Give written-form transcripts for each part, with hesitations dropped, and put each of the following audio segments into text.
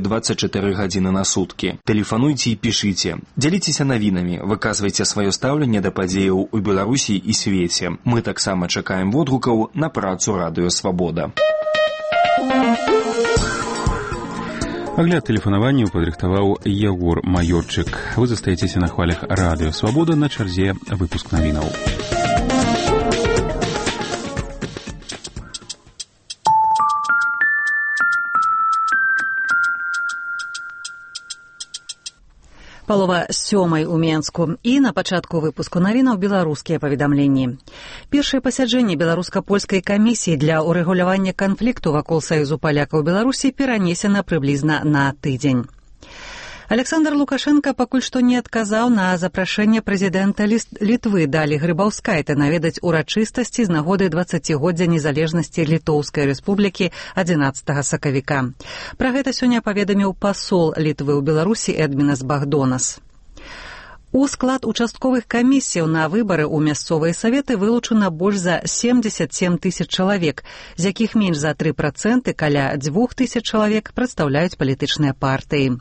24 гадзіны на суткі. Тэлефануйце і пішыце. Дзяліцеся навінамі, выказвайце сваё стаўленне да падзеяў у Беларусі і свеце. Мы таксама чакаем водгукаў на працу Радыё Свабода. Агляд тэлефанаванняў падрыхтаваў Ягор Маёрчык. Вы застаецеся на хвалях Радыё Свабода, на чарзе выпуск навінаў. Палова 7 у Менску. І на пачатку выпуску навінаў беларускія паведамленні. Першае пасяджэнне беларуска-польскай камісіі для урэгулявання канфлікту вакол Саюзу палякаў Беларусі перанесена прыблізна на тыдзень. Александр Лукашенко пакуль што не адказаў на запрашэнне прэзідэнта Літвы Далі Грыбаўскайта наведаць урачыстасці з нагоды 20годдзя незалежнасці Літоўскай рэспублікі 11 сакавіка. Пра гэта сёння паведаміў пасол Літвы ў Беларусі Эдмінас Багдонас. У склад участковых камісіяў на выбары ў мясцовыя саветы вылучана больш за 77 тысяч чалавек, з якіх менш за 3%, каля 2000 чалавек прадстаўляюць палітычныя партыі.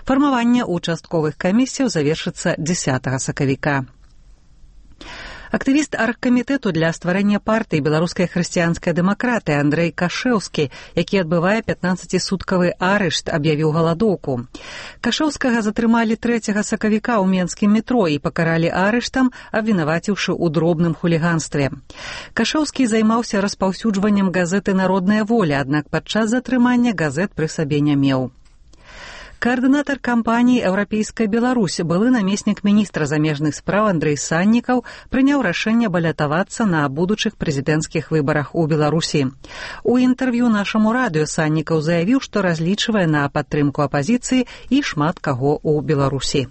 Фармаванне участковых камісіяў завершыцца 10 сакавіка. Актывіст аргкамітэту для стварэння партыі беларускай хрысціянскай дэмакратыі Андрэй Кашэўскі, які адбывае 15-суткавы арышт, аб'явіў галадоўку. Кашэўскага затрымалі 3 сакавіка ў менскім метро і пакаралі арыштам, абвінаваціўшы ў дробным хуліганстве. Кашэўскі займаўся распаўсюджваннем газеты «Народная воля», аднак падчас затрымання газет пры сабе не меў. Каардынатар кампаніі «Еўрапейская Беларусь», былы намеснік міністра замежных спраў Андрэй Саннікаў прыняў рашэнне балятавацца на будучых прэзідэнцкіх выбарах у Беларусі. У інтэрв'ю нашаму радыё Саннікаў заявіў, што разлічвае на падтрымку апазіцыі і шмат каго ў Беларусі.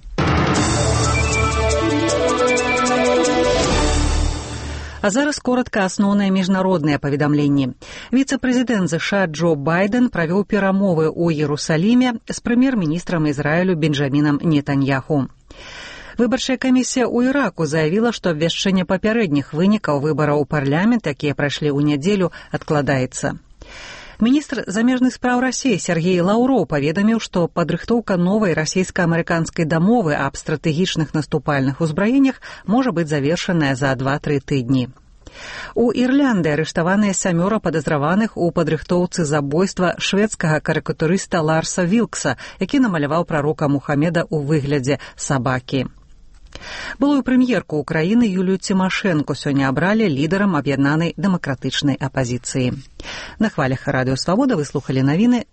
А зараз коротка асноўныя міжнародныя паведамленні. Віцэ-прэзідэнт ЗША Джо Байден правёў перамовы ў Іерусаліме з прэм'ер-міністрам Ізраілю Бенджамінам Нетаньяху. Выбарчая камісія ў Іраку заявіла, што абвяшчэнне папярэдніх вынікаў выбараў у парламент, якія прайшлі ў нядзелю, адкладаецца. Міністр замежных спраў Расіі Сергей Лаўроў паведаміў, што падрыхтоўка новай расійска-амерыканскай дамовы аб стратэгічных наступальных узбраеннях можа быць завершаная за 2-3 тыдні. У Ірландыі арыштаваныя 7 падазраваных у падрыхтоўцы забойства шведскага карыкатурыста Ларса Вілкса, які намаляваў прарока Мухамеда ў выглядзе сабакі. Былую прэм'ерку Украіны Юлію Цімашэнку сёння абралі лідарам аб'яднанай дэмакратычнай апазіцыі. На хвалях Радыё Свабода вы слухалі навіны.